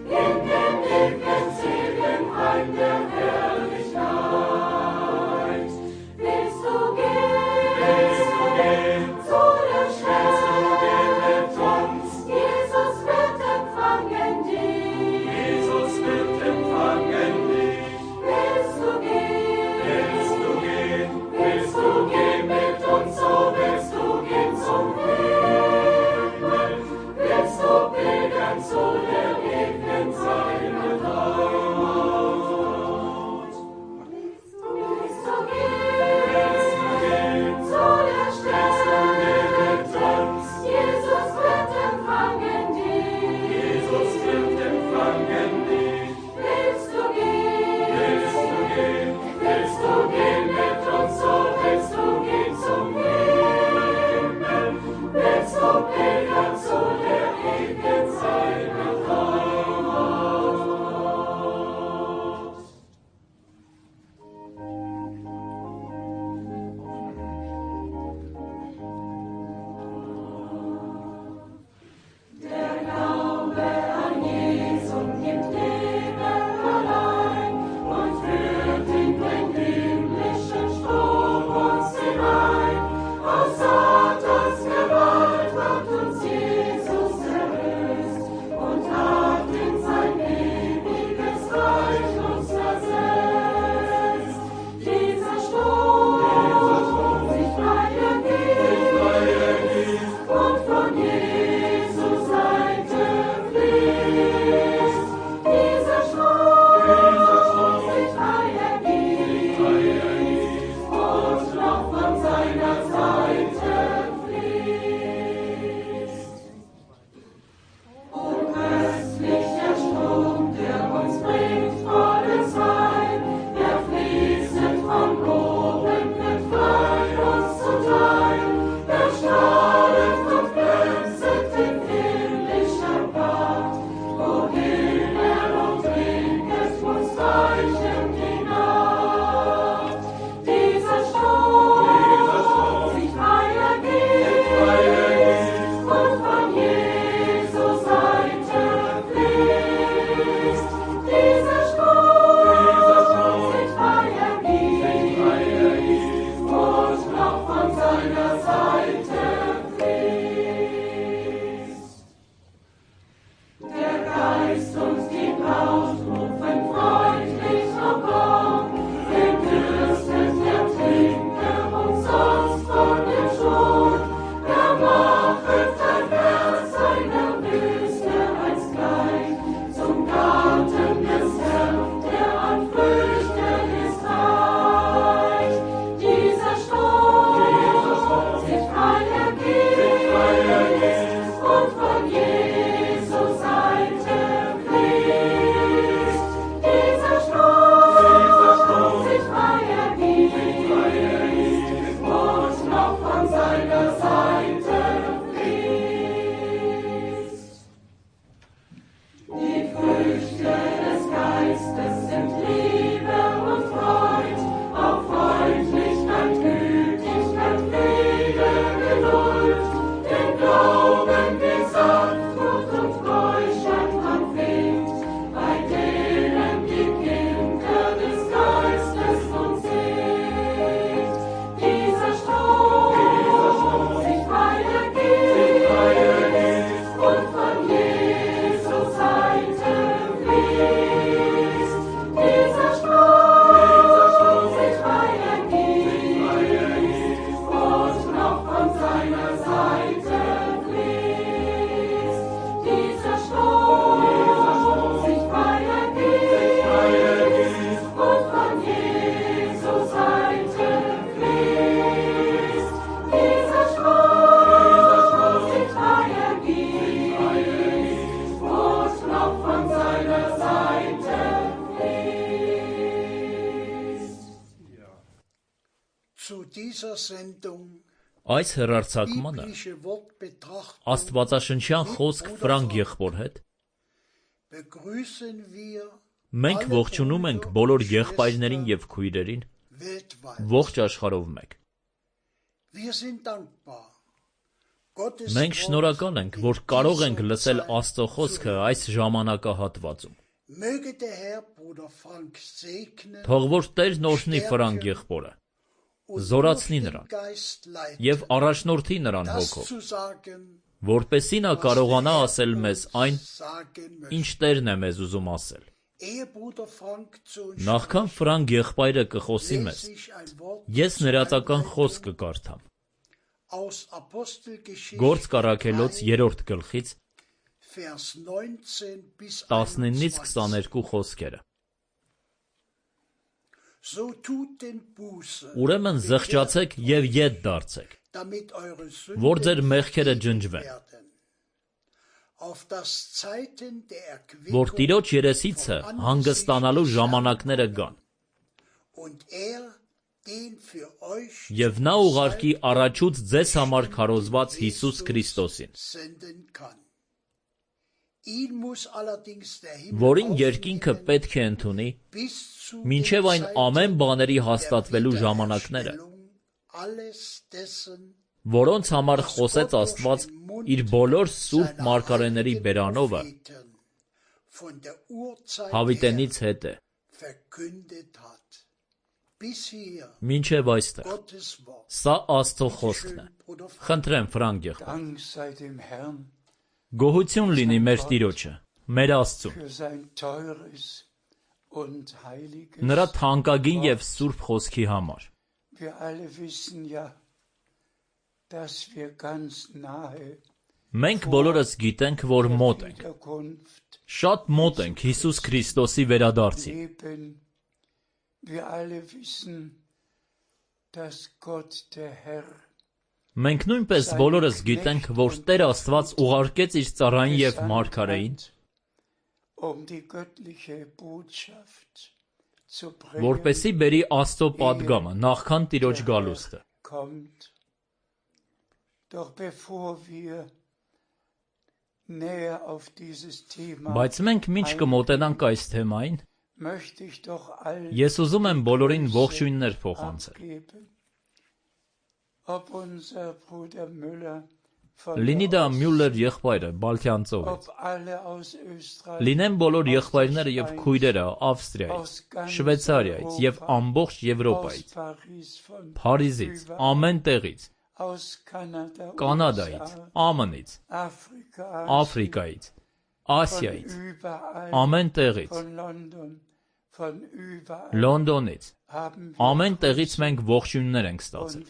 In dem ewigen Segen heim der Herrlichkeit. Այս հեռարձակմանը աստվածաշնչյան խոսք Ֆրանկ եղբոր հետ մենք ողջունում ենք բոլոր եղբայրներին և քույրերին ողջ աշխարհով մեկ։ Մենք շնորհակալ ենք, որ կարող ենք լսել Աստծո խոսքը այս ժամանակահատվածում։ Թող որ Տերն օրհնի Ֆրանկ եղբորը, զորացնի նրան և առաջնորդի նրան հոգով, որպեսզի նա կարողանա ասել մեզ այն, ինչ Տերն է մեզ ուզում ասել։ Նախքան Ֆրանկ եղբայրը կխոսի մեզ, ես ներածական խոսք կկարդամ։ Գործք առաքելոց 3-րդ գլխից 19-ից 22 խոսքերը։ Ուրեմն զղջացեք և ետ դարձեք, որ ձեր մեղքերը ջնջվեն, որ Տիրոջ երեսիցը հանգստանալու ժամանակները գան, և նա ուղարկի առաջուց ձեզ համար քարոզված Հիսուս Քրիստոսին, որին երկինքը պետք է ընդունի, մինչև այն ամեն բաների հաստատվելու ժամանակները, որոնց համար խոսեց Աստված իր բոլոր սուրբ մարգարեների բերանովը, հավիտենից հետը։ Մինչև այստեղ։ Սա Աստծո խոսքն է։ Խնդրեմ Ֆրանկ եղբայր։ Գոհություն լինի մեր Տիրոջը, մեր Աստծուն, նրա թանկագին և սուրբ խոսքի համար։ Մենք բոլորս գիտենք, որ մոտ ենք, շատ մոտ ենք Հիսուս Քրիստոսի վերադարձին։ Մենք նույնպես բոլորս գիտենք, որ Տեր Աստված ուղարկեց իր ծառային և մարգարեին, որպեսզի բերի Աստծո պատգամը նախքան Տիրոջ գալուստը։ Բայց մենք մինչ կմոտենանք այս թեմային, ես ուզում եմ բոլորին ողջույններ փոխանցել։ Լինի դա Մյուլլեր եղբայրը Բալթյան ծովից, լինեն բոլոր եղբայրները և քույրերը Ավստրիայից, Շվեյցարիայից և ամբողջ Եվրոպայից, Փարիզից, ամեն տեղից, Կանադայից, ԱՄՆ-ից, Աֆրիկայից, Ասիայից, ամեն տեղից, Լոնդոնից, ամեն տեղից մենք ողջույններ ենք ստացել։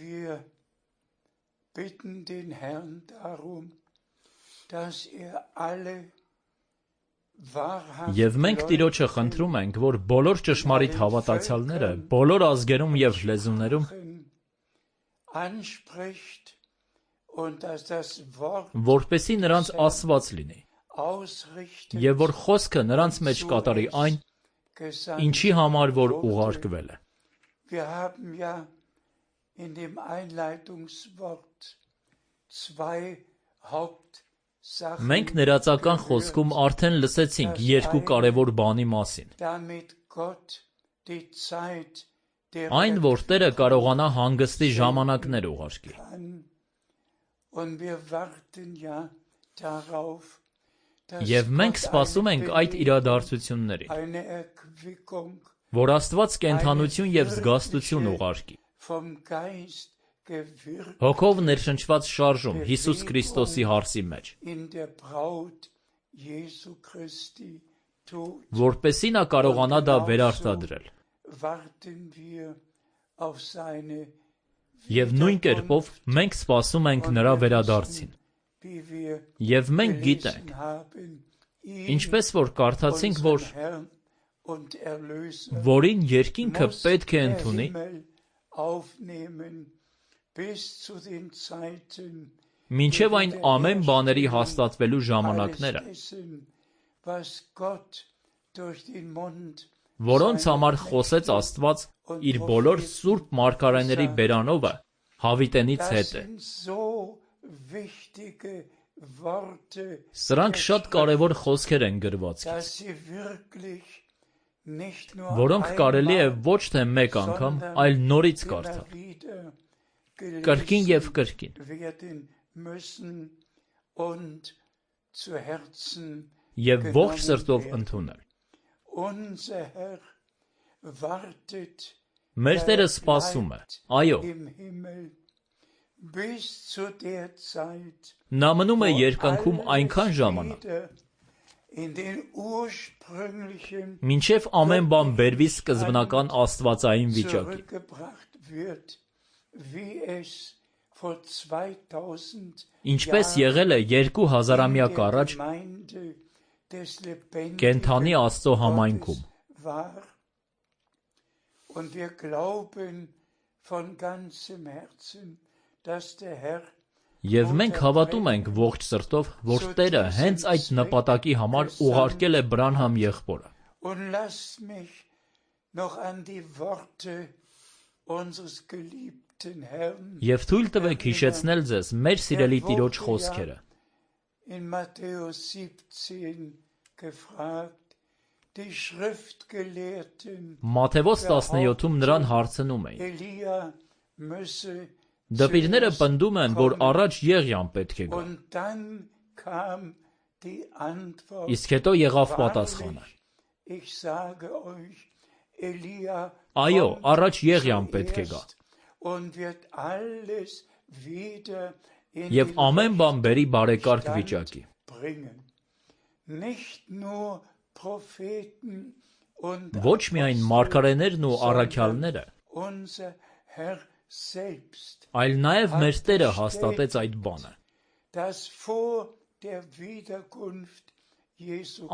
Եվ մենք Տիրոջը խնդրում ենք, որ բոլոր ճշմարիտ հավատացյալները, բոլոր ազգերում և լեզուներում, որպեսզի նրանց ասված լինի, և որ խոսքը նրանց մեջ կատարի այն, ինչի համար որ ուղարկվել է։ Մենք ներածական խոսքում արդեն լսեցինք երկու կարևոր բանի մասին. այն, որ Տերը կարողանա հանգստի ժամանակներ ուղարկի, և մենք սպասում ենք այդ իրադարձություններին, որ Աստված կենդանություն և զգաստություն ուղարկի, հոգով ներշնչված շարժում Հիսուս Քրիստոսի հարսի մեջ, որպեսզի նա կարողանա դա վերարտադրել։ Եվ նույն կերպով մենք սպասում ենք նրա վերադարձին։ Եվ մենք գիտենք, ինչպես որ կարդացինք, որին երկինքը պետք է ընդունի, մինչև այն ամեն բաների հաստատվելու ժամանակները, որոնց համար խոսեց Աստված իր բոլոր սուրբ մարգարեների բերանովը հավիտենից հետ է։ Սրանք շատ կարևոր խոսքեր են գրվածքից, որոնք կարելի է ոչ թե մեկ անգամ, այլ նորից կարդալ, կրկին և կրկին, և ողջ սրտով ընդունել։ Մեր Տերը սպասում է, այո։ Նա մնում է երկնքում այնքան ժամանակ, մինչև ամեն բան բերվի սկզբնական աստվածային վիճակի։ Ինչպես եղել է 2000-ամյակ առաջ կենդանի Աստծո համայնքում։ Եվ մենք հավատում ենք ողջ սրտով, որ Տերը հենց այդ նպատակի համար ուղարկել է Բրանհամ եղբորը։ Եվ թույլ տվեք հիշեցնել ձեզ մեր սիրելի Տիրոջ խոսքերը։ Մատթեոս 17-ում նրան հարցնում էին. Դպիրները պնդում են, որ առաջ Եղիան պետք է գա։ Իսկ հետո եղավ պատասխանը. Այո, առաջ Եղիան պետք է գա։ Եվ ամեն բան բերի բարեկարգ վիճակի։ Ոչ միայն մարգարեներն ու առաքյալները, այլ նաև մեր Տերը հաստատեց այդ բանը։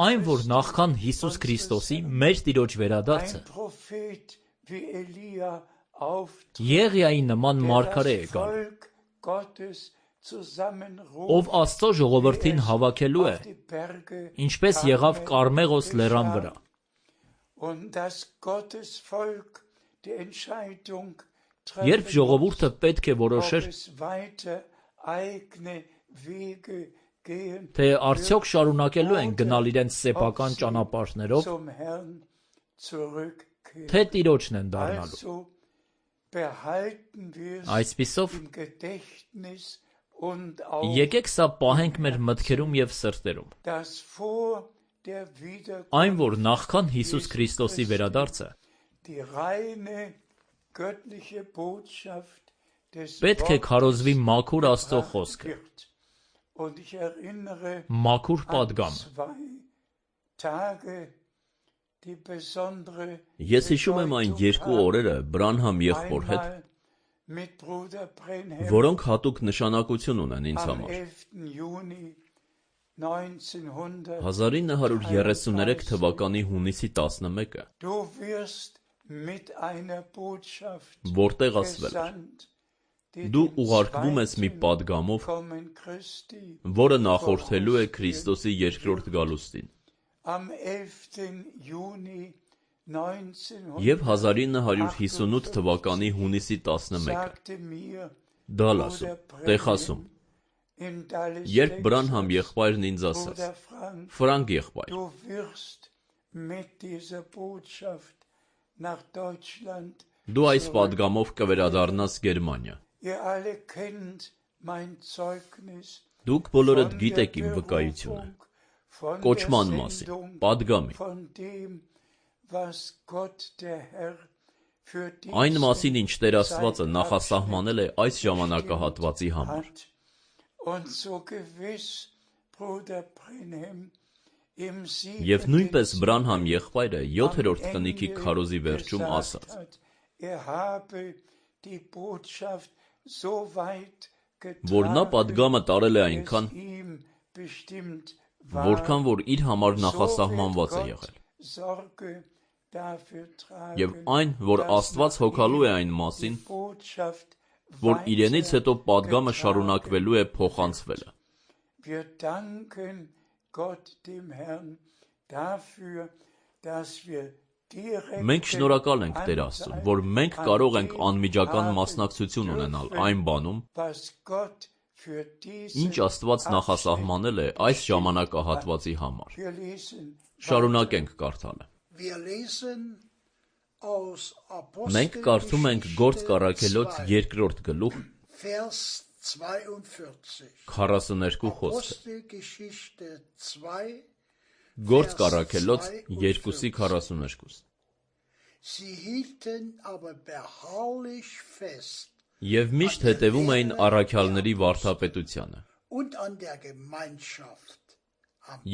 Այն, որ նախքան Հիսուս Քրիստոսի, մեր Տիրոջ վերադարձը, Եղիայի նման մարգարե է գալու, ով Աստծո ժողովրդին հավաքելու է, ինչպես եղավ Կարմեղոս լեռան վրա։ Երբ ժողովուրդը պետք է որոշեր, թե արդյոք շարունակելու են գնալ իրենց սեփական ճանապարհներով, թե Տիրոջն են դառնալու։ Այսպիսով, եկեք սա պահենք մեր մտքերում և սրտերում։ Այն, որ նախքան Հիսուս Քրիստոսի վերադարձը, պետք է քարոզվի մաքուր Աստծո խոսքը, մաքուր պատգամը։ Ես հիշում եմ այն երկու օրերը Բրանհամ եղբոր հետ, որոնք հատուկ նշանակություն ունեն ինձ համար։ 1933 թվականի հունիսի 11-ը, որտեղ ասվել էր. դու ուղարկվում ես մի պատգամով, որը նախորդելու է Քրիստոսի երկրորդ գալուստին։ Եվ 1958 թվականի հունիսի 11-ը, Դալասում, Տեխասում, երբ Բրանհամ եղբայրն ինձ ասաց. Ֆրանկ եղբայր, դու այս պատգամով կվերադառնաս Գերմանիա։ Դուք բոլորդ գիտեք իմ վկայությունը, կոչման մասին, պատգամի, այն մասին, ինչ Տեր Աստվածը նախասահմանել է այս ժամանակահատվածի համար։ Եվ նույնպես Բրանհամ եղբայրը 7-րդ խնիկի քարոզի վերջում ասաց. որ նա պատգամը տարել է այնքան, որքան որ իր համար նախասահմանված է եղել։ Եվ այն, որ Աստված հոգալու է այն մասին, որ իրենից հետո պատգամը շարունակվելու է փոխանցվելը։ Մենք շնորհակալ ենք Տեր Աստծուն, որ մենք կարող ենք անմիջական մասնակցություն ունենալ այն բանում, ինչ Աստված նախասահմանել է այս ժամանակահատվածի համար։ Շարունակենք կարդալը։ Մենք կարդում ենք Գործք առաքելոց 2-րդ գլուխ 42 խոսքը։ Գործք առաքելոց 2:42։ Եվ միշտ հետևում էին առաքյալների վարդապետությանը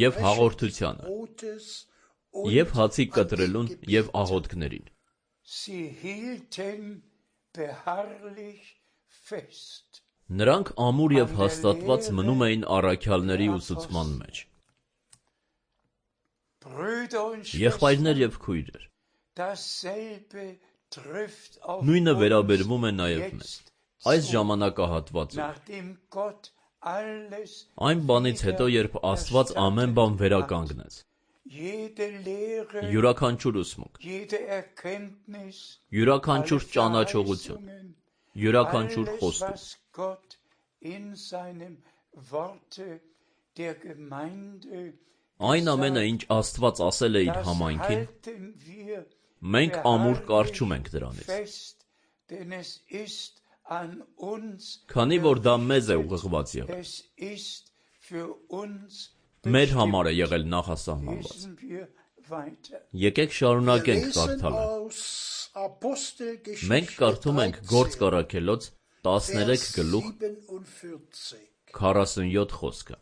և հաղորդությանը և հացի կտրելուն և աղոթքներին։ Նրանք ամուր և հաստատված մնում էին առաքյալների ուսուցման մեջ։ Եղբայրներ և քույրեր, նույնը վերաբերվում է նաև մեզ։ Այս ժամանակահատվածում, այն բանից հետո, երբ Աստված ամեն բան վերականգնեց, յուրաքանչյուր ուսմունք, յուրաքանչյուր ճանաչողություն, յուրաքանչյուր խոստում, այն ամենը, ինչ Աստված ասել է իր համայնքին, մենք ամուր կառչում ենք դրանից, քանի որ դա մեզ է ուղղված եղել, մեր համար է եղել նախասահմանված։ Եկեք շարունակենք կարդալը։ Մենք կարդում ենք Գործք առաքելոց 13 գլուխ 47 խոսքը։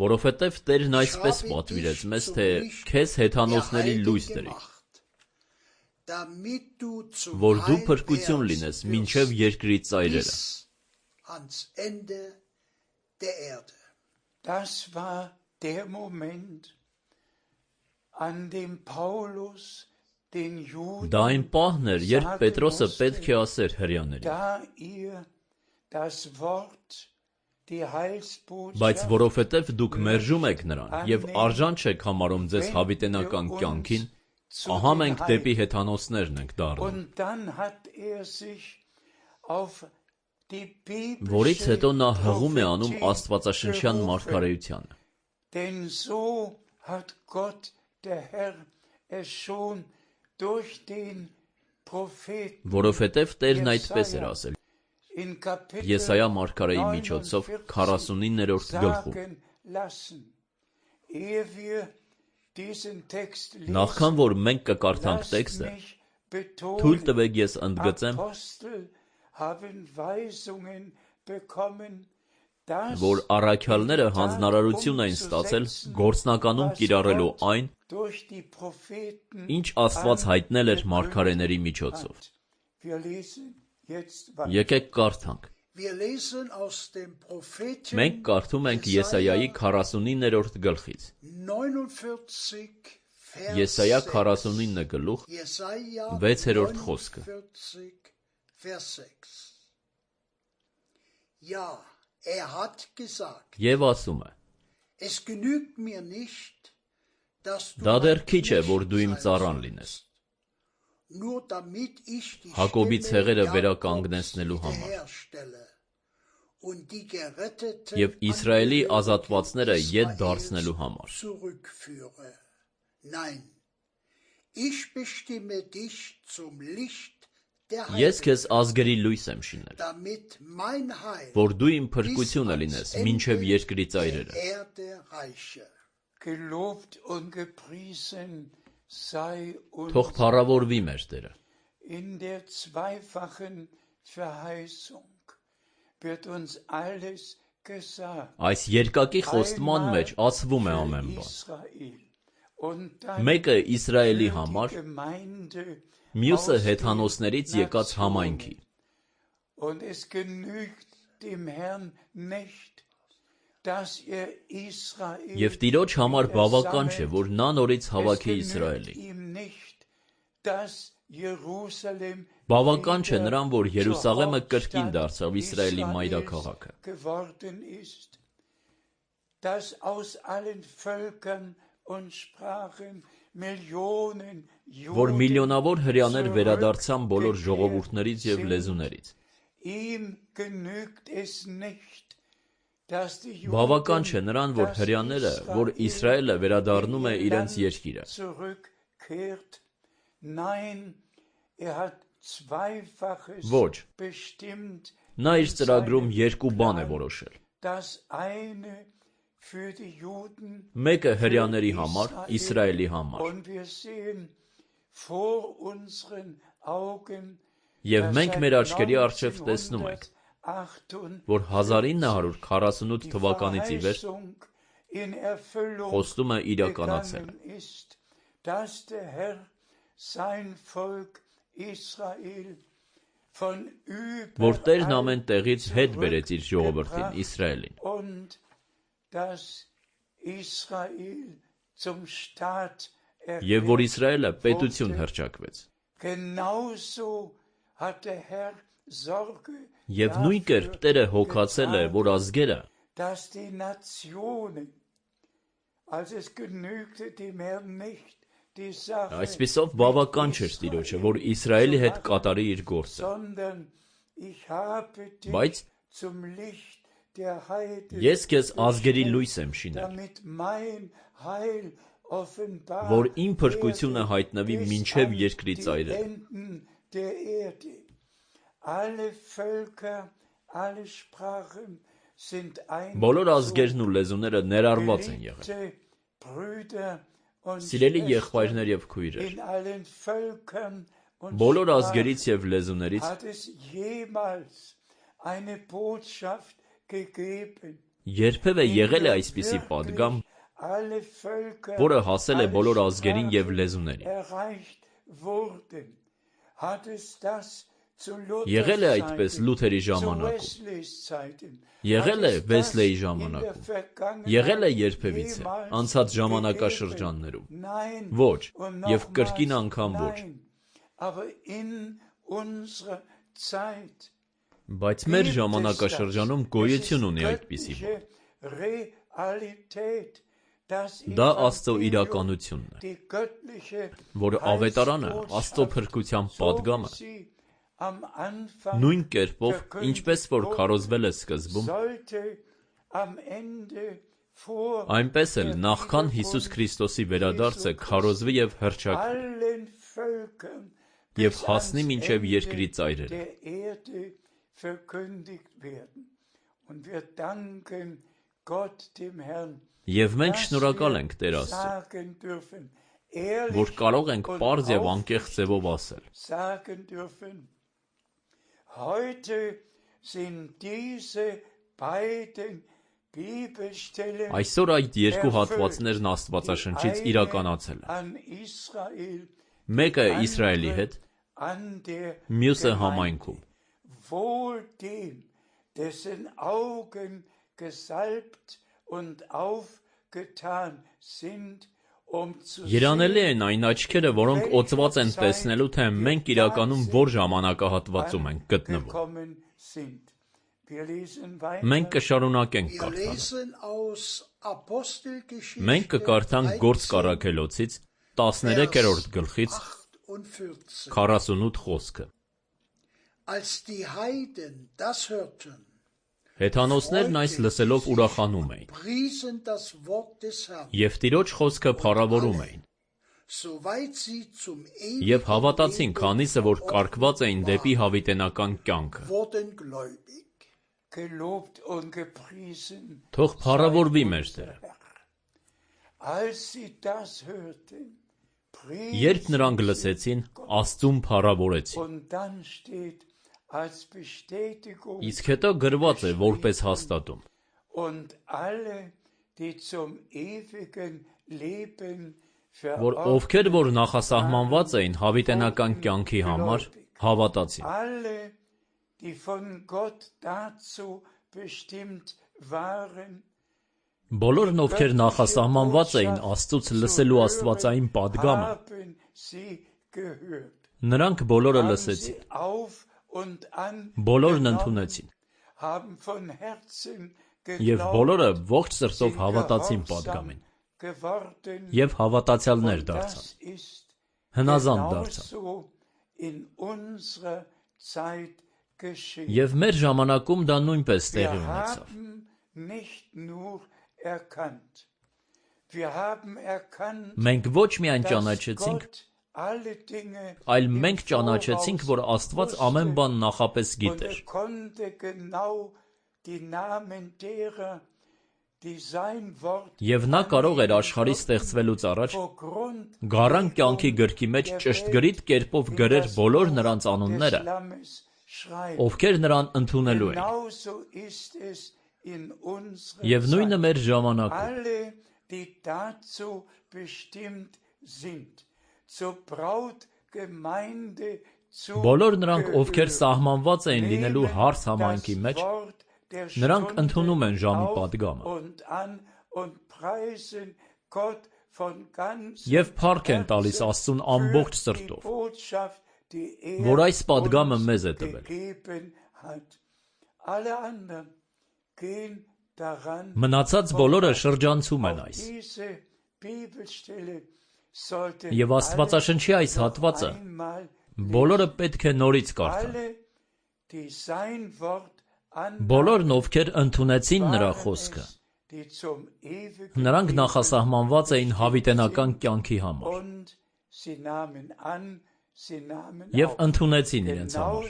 Որովհետև Տերն այսպես պատվիրեց մեզ, թե քեզ հեթանոսների լույս դրի, որ դու փրկություն լինես մինչև երկրի ծայրերը։ Դա այն պահն էր, երբ Պետրոսը պետք է ասեր հրեաներին. բայց որովհետև դուք մերժում եք նրան և արժան չեք համարում ձեզ հավիտենական կյանքին, ահա մենք դեպի հեթանոսներն ենք դառնում։ Որից հետո նա հղում է անում աստվածաշնչյան մարգարեությանը։ Որովհետև Տերն այդպես էր ասել Եսայիա մարգարեի միջոցով 49-րդ գլխում. Նախքան որ մենք կկարդանք տեքստը, թույլ տվեք ես ընդգծեմ, որ առաքյալները հանձնարարություն էին ստացել գործնականում կիրառելու այն, ինչ Աստված հայտնել էր մարգարեների միջոցով։ Եկեք կարդանք։ Մենք կարդում ենք Եսայիայի 49-րդ գլխից։ Եսայիա 49 գլուխ 6-րդ խոսքը։ Եվ ասում է. դա դեռ քիչ է, որ դու իմ ծառան լինես, Հակոբի ցեղերը վերականգնեցնելու համար և Իսրայելի ազատվածները ետ դարձնելու համար։ Ես քեզ ազգերի լույս եմ շինել, որ դու իմ փրկությունը լինես մինչև երկրի ծայրերը։ Թող փառավորվի մեր Տերը։ Այս երկակի խոստման մեջ ասվում է ամեն բան։ Մեկը Իսրայելի համար, մյուսը հեթանոսներից եկած համայնքի։ Եվ Տիրոջ համար բավական չէ, որ նա նորից հավաքի Իսրայելի։ Բավական չէ նրան, որ Երուսաղեմը կրկին դարձավ Իսրայելի մայրաքաղաքը։ որ միլիոնավոր հրեաներ վերադարձան բոլոր ժողովուրդներից և լեզուներից։ Բավական չէ նրան, որ հրեաները, որ Իսրայելը վերադառնում է իրենց երկիրը։ Ոչ, նա իր ծրագրում երկու բան է որոշել։ Մեկը հրեաների համար, Իսրայելի համար։ Եվ մենք մեր աչքերի առջև տեսնում ենք, որ 1948 թվականից ի վեր խոստումը իրականացել է։ Որ Տերն ամեն տեղից հետ բերեց իր ժողովրդին Իսրայելին։ Եվ որ Իսրայելը պետություն հռչակվեց։ Եվ նույն կերպ Տերը հոգացել է, որ ազգերը այսպիսով բավական չէր Տիրոջը, որ Իսրայելի հետ կատարի իր գործը։ Բայց ես քեզ ազգերի լույս եմ շինել, որ իմ փրկությունը հայտնվի մինչև երկրի ծայրերը։ Բոլոր ազգերն ու լեզուները ներառված են եղել։ Սիրելի եղբայրներ և քույրեր, բոլոր ազգերից և լեզուներից երբևէ եղել է այսպիսի պատգամ, որը հասել է բոլոր ազգերին և լեզուներին։ Եղել է այդպես Լութերի ժամանակում, եղել է Վեսլեի ժամանակում, եղել է երբևիցե անցած ժամանակաշրջաններում, ոչ, և կրկին անգամ ոչ։ Բայց մեր ժամանակաշրջանում գոյություն ունի այդպիսի բան։ Դա Աստծո իրականությունն է, որ ավետարանը, Աստծո փրկության պատգամը, նույն կերպով, ինչպես որ քարոզվել է սկզբում, այնպես էլ նախքան Հիսուս Քրիստոսի վերադարձը քարոզվի և հռչակվի և հասնի մինչև երկրի ծայրերը։ Եվ մենք շնորհակալ ենք Տեր Աստծուն, որ կարող ենք պարզ և անկեղծ ձևով ասել. Այսօր այդ երկու հատվածներն Աստվածաշնչից իրականացել են։ Մեկը Իսրայելի հետ, մյուսը համայնքում։ Երանելի են այն աչքերը, որոնք օծված են տեսնելու, թե մենք իրականում որ ժամանակահատվածում ենք գտնվում։ Մենք կշարունակենք կարդալը։ Մենք կկարդանք Գործք առաքելոցից 13-րդ գլխից 48 խոսքը։ Հեթանոսներն այս լսելով ուրախանում էին և Տիրոջ խոսքը փառավորում էին։ Եվ հավատացին, քանիսը որ կարգված էին դեպի հավիտենական կյանքը։ Թող փառավորվի մեր Տերը։ Երբ նրանք լսեցին, Աստծուն փառավորեցին։ Իսկ հետո գրված է որպես հաստատում. որ ովքեր որ նախասահմանված էին հավիտենական կյանքի համար, հավատացին։ Բոլորն ովքեր նախասահմանված էին Աստծուց լսելու աստվածային պատգամը, նրանք բոլորը լսեցին, բոլորն ընդունեցին, և բոլորը ողջ սրտով հավատացին պատգամին, և հավատացյալներ դարձան, հնազանդ դարձան։ Եվ մեր ժամանակում դա նույնպես տեղի ունեցավ։ Մենք ոչ միայն ճանաչեցինք, այլ մենք ճանաչեցինք, որ Աստված ամեն բան նախապես գիտեր։ Եվ նա կարող էր աշխարհի ստեղծվելուց առաջ գառան կյանքի գրքի մեջ ճշտգրիտ կերպով գրեր բոլոր նրանց անունները, ովքեր նրան ընդունելու են։ Եվ նույնը մեր ժամանակում։ Բոլոր նրանք, ովքեր սահմանված էին լինելու հարս համայնքի մեջ, նրանք ընդունում են ժամի պատգամը և փառք են տալիս Աստծուն ամբողջ սրտով, որ այս պատգամը մեզ է տվել։ Մնացած բոլորը շրջանցում են այս։ Եվ Աստվածաշնչի այս հատվածը բոլորը պետք է նորից կարդան։ Բոլորն, ովքեր ընդունեցին նրա խոսքը, նրանք նախասահմանված էին հավիտենական կյանքի համար և ընդունեցին իրենց համար։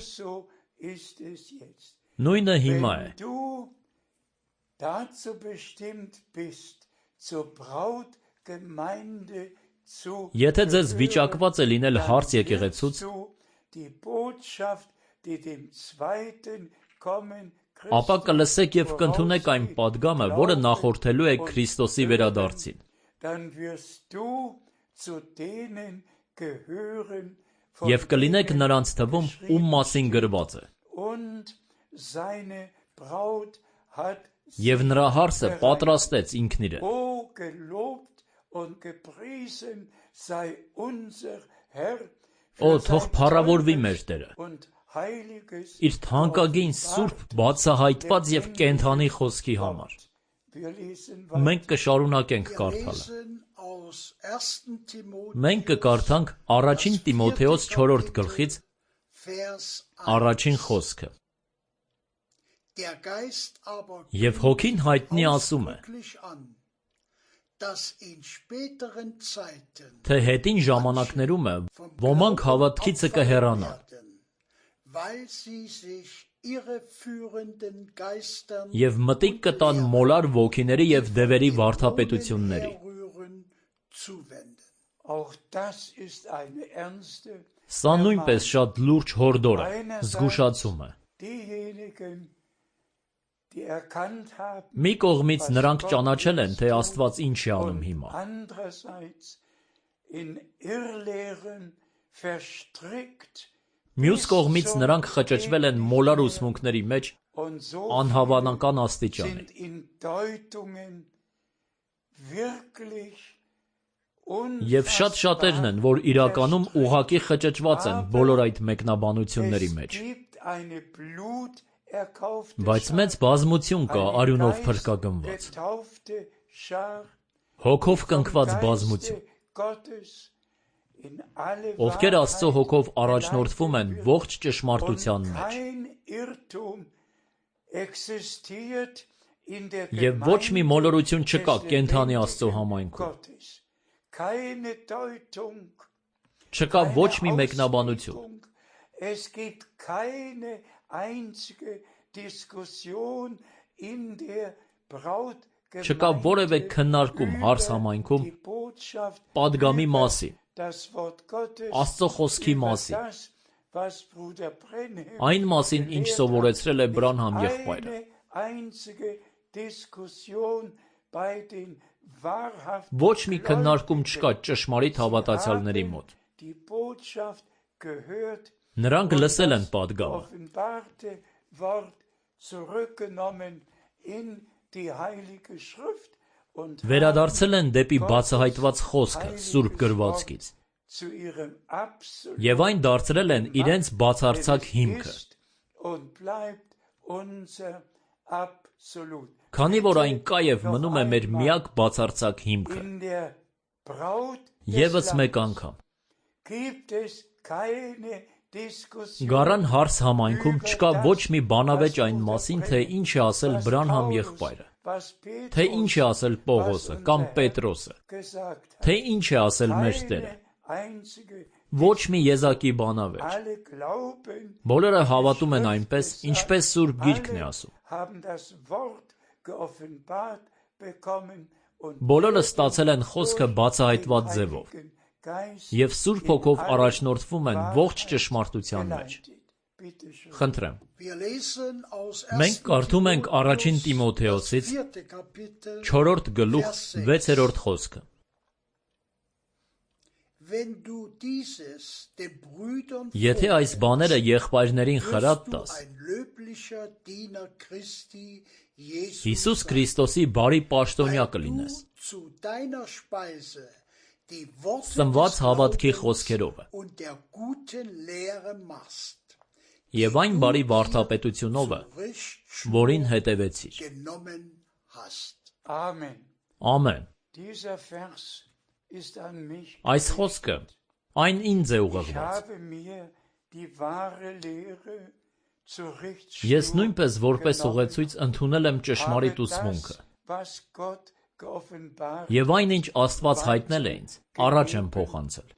Նույնը հիմա է։ Եթե ձեզ վիճակված է լինել հարց եկեղեցուց, ապա կլսեք և կընդունեք այն պատգամը, որը նախորդելու է Քրիստոսի վերադարձին։ Եվ կլինեք նրանց թվում, ում մասին գրված է. «Եվ նրա հարսը պատրաստեց ինքն իրեն»։ Օ, թող փառավորվի մեր Տերը, իր թանկագին սուրբ, բացահայտված և կենդանի խոսքի համար։ Մենք կշարունակենք կարդալը։ Մենք կկարդանք առաջին Տիմոթեոս 4 գլխից առաջին խոսքը։ Եվ Հոգին հայտնի ասում է, թե հետին ժամանակներում է, ոմանք հավատքիցը կհեռանան, և մտիկ կտան մոլար ոգիների և դևերի վարդապետությունների։ Սա նույնպես շատ լուրջ հորդոր է, զգուշացում է։ Մի կողմից նրանք ճանաչել են, թե Աստված ինչ է անում հիմա։ Մյուս կողմից նրանք խճճվել են մոլար ուսմունքների մեջ անհավանական աստիճանի։ Եվ շատ շատերն են, որ իրականում ուղղակի խճճված են բոլոր այդ մեկնաբանությունների մեջ։ Բայց մեծ բազմություն կա արյունով փրկագնված, հոգով կնքված բազմություն, ովքեր Աստծո հոգով առաջնորդվում են ողջ ճշմարտության մեջ։ Եվ ոչ մի մոլորություն չկա կենդանի Աստծո համայնքում։ Չկա ոչ մի մեկնաբանություն։ Չկա որևէ քննարկում հարս համայնքում պատգամի մասին, Աստծո խոսքի մասին, այն մասին, ինչ սովորեցրել է Բրանհամ եղբայրը։ Ոչ մի քննարկում չկա ճշմարիտ հավատացյալների մոտ։ Նրանք լսել են պատգամը։ Վերադարձել են դեպի բացահայտված խոսքը Սուրբ գրվածքից և այն դարձրել են իրենց բացարձակ հիմքը։ Քանի որ այն կա եւ մնում է մեր միակ բացարձակ հիմքը։ Եվս մեկ անգամ։ Գարան հարս համայնքում չկա ոչ մի բանավեճ այն մասին, թե ինչ է ասել Բրանհամ եղբայրը, թե ինչ է ասել Պողոսը կամ Պետրոսը, թե ինչ է ասել մեր Տերը։ Ոչ մի եզակի բանավեճ։ Բոլորը հավատում են այնպես, ինչպես Սուրբ Գիրքն է ասում։ Բոլորը ստացել են խոսքը բացահայտված ձևով և Սուրբ Հոգով առաջնորդվում են ողջ ճշմարտության մեջ։ Խնդրեմ։ Մենք կարդում ենք առաջին Տիմոթեոսից 4 գլուխ 6-րդ խոսքը։ Եթե այս բաները եղբայրներին խրատ տաս, Հիսուս Քրիստոսի բարի պաշտոնյա կլինես, սնված հավատքի խոսքերով և այն բարի վարդապետությունով, որին հետևեցիր։ Ամեն։ Այս խոսքը այն ինձ է ուղղված։ Ես նույնպես որպես ուղեցույց ընդունել եմ ճշմարիտ ուսմունքը և այն, ինչ Աստված հայտնել է ինձ, առաջ եմ փոխանցել։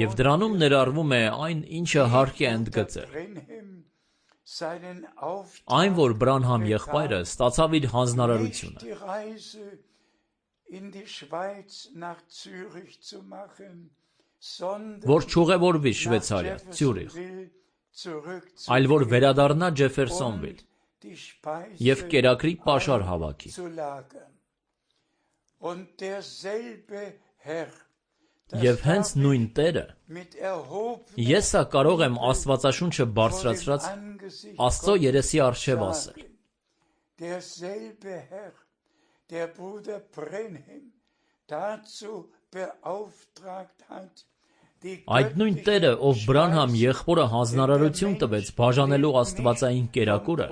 Եվ դրանում ներառվում է այն, ինչը հարկ է ընդգծել։ Այն, որ Բրանհամ եղբայրը ստացավ իր հանձնարարությունը։ Որ չուղևորվի Շվեյցարիա, Ցյուրիխ, այլ որ վերադառնա Ջեֆերսոնվիլ և կերակրի պաշար հավաքի։ Եվ հենց նույն Տերը, ես սա կարող եմ Աստվածաշունչը բարձրացրած Աստծո երեսի առջև ասել։ Այդ նույն Տերը, ով Բրանհամ եղբորը հանձնարարություն տվեց բաժանելու աստվածային կերակուրը,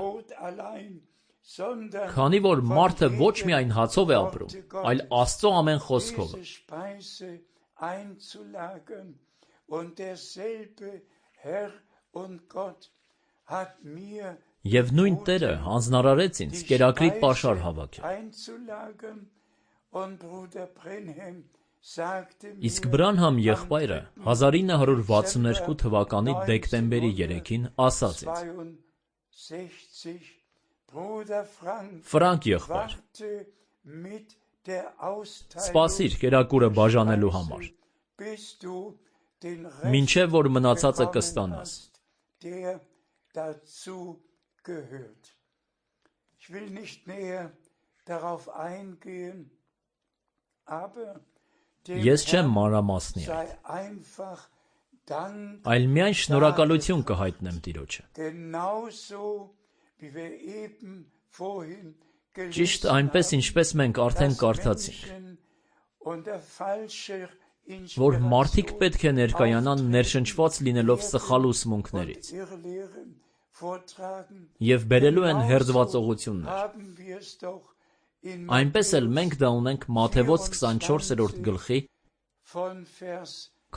քանի որ մարդը ոչ միայն հացով է ապրում, այլ Աստծո ամեն խոսքով։ Եվ նույն Տերը հանձնարարեց ինձ կերակրի պաշար հավաքել։ Իսկ Բրանհամ եղբայրը 1962 թվականի դեկտեմբերի 3-ին ասաց ինձ. Ֆրանկ եղբայր, սպասիր կերակուրը բաժանելու համար, մինչև որ մնացածը կստանաս։ Ես չեմ մանրամասնի այդ, այլ միայն շնորհակալություն կհայտնեմ Տիրոջը։ Ճիշտ այնպես, ինչպես մենք արդեն կարդացինք, որ մարդիկ պետք է ներկայանան ներշնչված լինելով սխալ ուսմունքներից և բերելու են հերձվածողություններ։ Այնպես էլ մենք դա ունենք Մատթեոս 24-րդ գլխի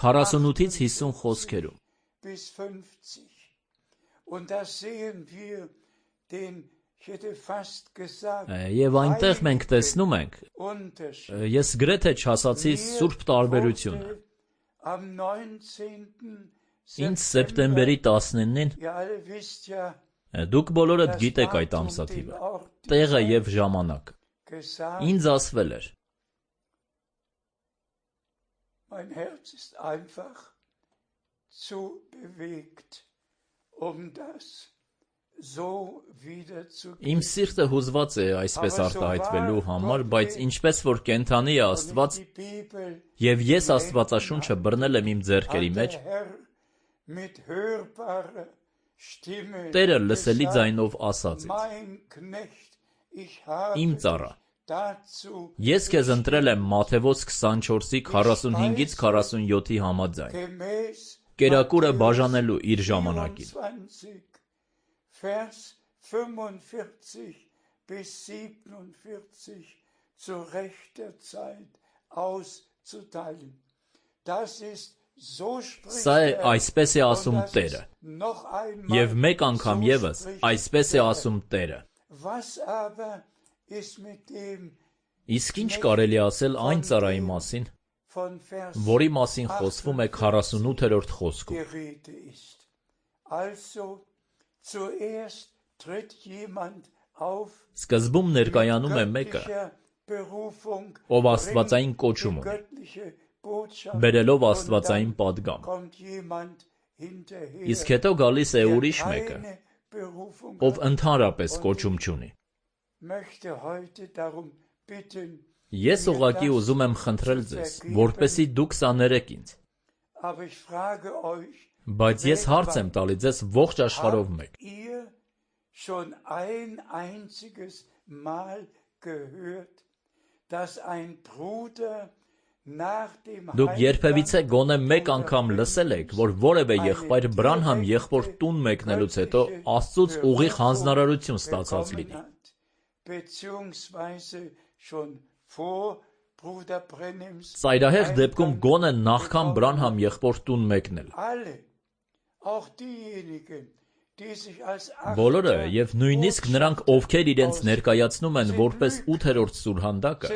48-ից 50 խոսքերում։ Եվ այնտեղ մենք տեսնում ենք, ես գրեթե չասացի սուրբ տարբերությունը։ Ինձ սեպտեմբերի 19-ին, դուք բոլորդ գիտեք այդ ամսաթիվը, տեղը և ժամանակը, ինձ ասվել էր. Իմ սիրտը հուզված է այսպես արտահայտվելու համար, բայց ինչպես որ կենդանի է Աստված, և ես Աստվածաշունչը բռնել եմ իմ ձեռքերի մեջ, Տերը լսելի ձայնով ասաց ինձ. Իմ ծառա, ես քեզ ընտրել եմ Մատթեոս 24-ի 45-ից 47-ի համաձայն, կերակուրը բաժանելու իր ժամանակին։ 24, Vers 45 bis 47 zu rechter Zeit auszuteilen. Das ist so spricht Սա է այսպես է ասում Տերը։ Եվ մեկ անգամ եւս այսպես է ասում Տերը։ Իսկ ինչ կարելի ասել այն ծառայի մասին, որի մասին խոսվում է 48-րդ խոսքում։ Սկզբում ներկայանում է մեկը, ով աստվածային կոչում ունի, բերելով աստվածային պատգամ։ Իսկ հետո գալիս է ուրիշ մեկը, ով ընդհանրապես կոչում չունի։ Ես ուղղակի ուզում եմ խնդրել ձեզ, որպեսզի դուք սա ներեք ինձ։ Բայց ես հարց եմ տալի ձեզ ողջ աշխարհով մեկ։ Դուք երբևիցե գոնե մեկ անգամ լսել եք, որ որևէ եղբայր Բրանհամ եղբոր տուն մեկնելուց հետո Աստծուց ուղիղ հանձնարարություն ստացած լինի։ Ծայրահեղ դեպքում գոնե նախքան Բրանհամ եղբոր տուն մեկնել։ Բոլորը եւ նույնիսկ նրանք, ովքեր իրենց ներկայացնում են որպես 8-րդ սուրհանդակը,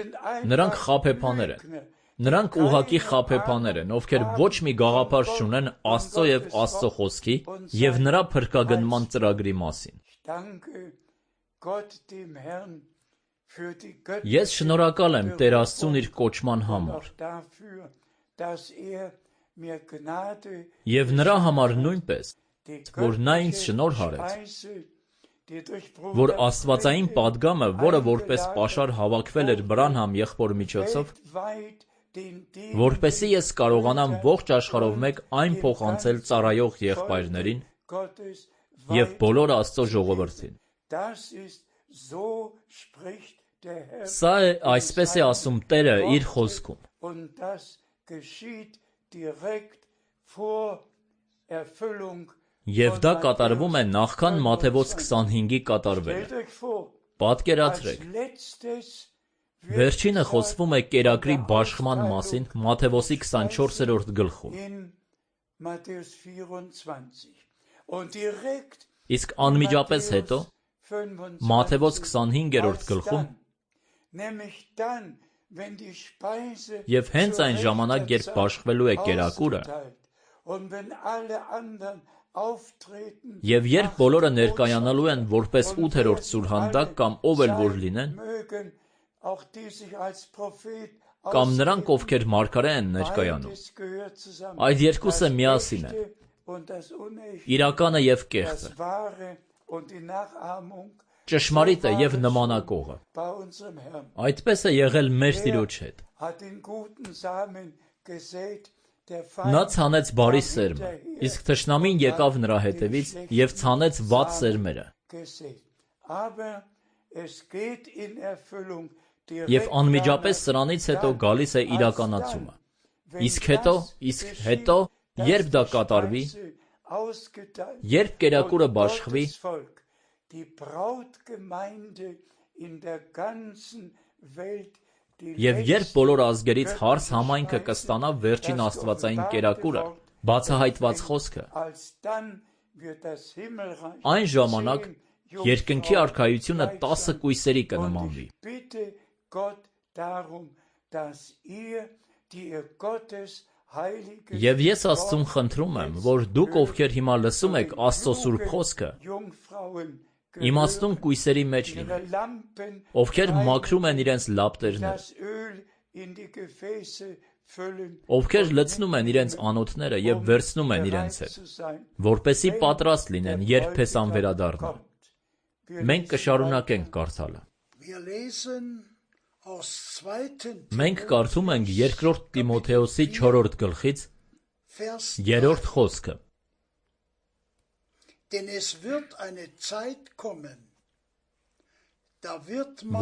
նրանք խաբեբաներ են։ Նրանք ուղղակի խաբեբաներ են, ովքեր ոչ մի գաղափար չունեն Աստծո եւ Աստծո խոսքի եւ նրա փրկագնման ծրագրի մասին։ Ես շնորհակալ եմ Տեր Աստծուն իր կոչման համար։ Եվ նրա համար նույնպես, որ նա ինձ շնորհ արեց, որ աստվածային պատգամը, որը որպես պաշար հավաքվել էր Բրանհամ եղբոր միջոցով, որպեսզի ես կարողանամ ողջ աշխարհով մեկ այն փոխանցել ծառայող եղբայրներին եւ բոլոր Աստծո ժողովրդին։ Սա է այսպես է ասում Տերը իր խոսքում։ Եվ դա կատարվում է նախքան Մատթեոս 25-ի կատարվելը։ Պատկերացրեք։ Վերջինը խոսվում է կերակրի բաշխման մասին Մատթեոսի 24-րդ գլխում։ Իսկ անմիջապես հետո Մատթեոս 25-րդ գլխում եւ հենց այն ժամանակ, երբ բաշխվելու է կերակուրը, եւ երբ բոլորը ներկայանալու են որպես 8-րդ սուրհանդակ կամ ով էլ որ լինեն, կամ նրանք, ովքեր մարգարե են ներկայանում, այդ երկուսը միասին են, իրականը եւ կեղծը, ճշմարիտը եւ նմանակողը։ Այդպես է եղել մեր Տիրոջ հետ։ Նա ցանեց բարի սերմը, իսկ թշնամին եկավ նրա հետևից եւ ցանեց վատ սերմերը։ Եվ անմիջապես սրանից հետո գալիս է իրականացումը։ Իսկ հետո, երբ դա կատարվի, երբ կերակուրը բաշխվի, եւ երբ բոլոր ազգերից հարս համայնքը կստանա վերջին աստվածային կերակուրը, բացահայտված խոսքը, այն ժամանակ երկնքի արքայությունը 10 կույսերի կնմանվի։ Եվ ես Աստծուն խնդրում եմ, որ դուք, ովքեր հիմա լսում եք Աստծո սուրբ խոսքը, իմաստուն կույսերի մեջ լինեն, ովքեր մաքրում են իրենց լապտերները, ովքեր լցնում են իրենց անոթները եւ վերցնում են իրենց հետ, որպեսզի պատրաստ լինեն, երբ փեսան վերադառնա։ Մենք կշարունակենք կարդալը։ Մենք կարդում ենք 2 Տիմոթեոսի 4-րդ գլխից 3-րդ խոսքը։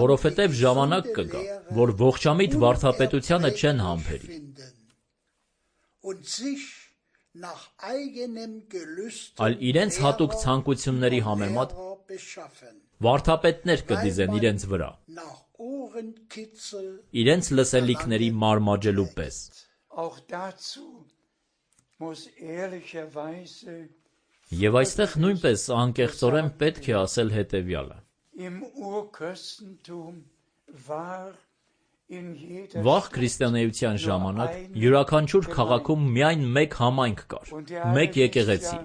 Որովհետև ժամանակ կգա, որ ողջամիտ վարդապետությանը չեն համբերի, այլ իրենց հատուկ ցանկությունների համեմատ վարդապետներ կդիզեն իրենց վրա, իրենց լսելիքների մարմաջելու պես։ Եվ այստեղ նույնպես անկեղծորեն պետք է ասել հետևյալը. Վաղ քրիստոնեության ժամանակ յուրաքանչյուր քաղաքում միայն մեկ համայնք կար, մեկ եկեղեցի,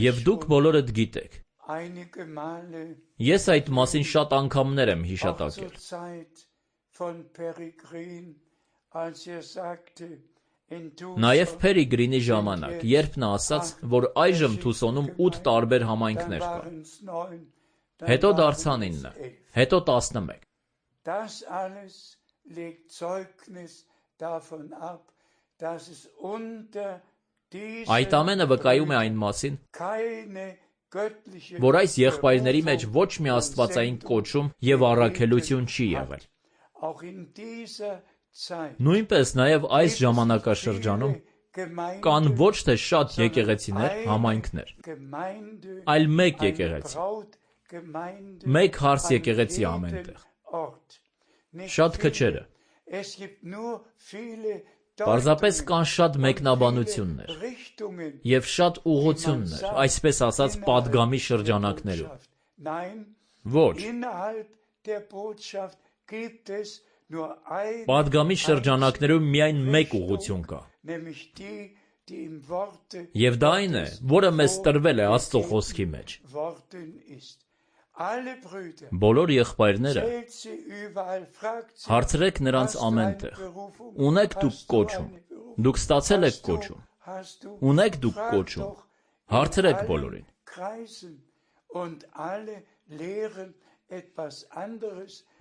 եւ դուք բոլորդ գիտեք։ Ես այդ մասին շատ անգամներ եմ հիշատակել։ Նաև Փերիգրինի ժամանակ, երբ նա ասաց, որ այժմ Թուսոնում 8 տարբեր համայնքներ կան, հետո դարձան 9, հետո 11։ Այդ ամենը վկայում է այն մասին, որ այս եղբայրների մեջ ոչ մի աստվածային կոչում և առաքելություն չի եղել։ Նույնպես նաև այս ժամանակաշրջանում կան ոչ թե շատ եկեղեցիներ, համայնքներ, այլ մեկ եկեղեցի, մեկ հարս եկեղեցի ամենտեղ, շատ քչերը։ Պարզապես կան շատ մեկնաբանություններ և շատ ուղղություններ, այսպես ասած պատգամի շրջանակներում։ Ոչ, պատգամի շրջանակներում միայն մեկ ուղղություն կա, և դա այն է, որը մեզ տրվել է Աստծո խոսքի մեջ։ Բոլոր եղբայրները հարցրեք նրանց ամենտեղ. ունեք դուք կոչում, դուք ստացել եք կոչում, ունեք դուք կոչում, հարցրեք բոլորին։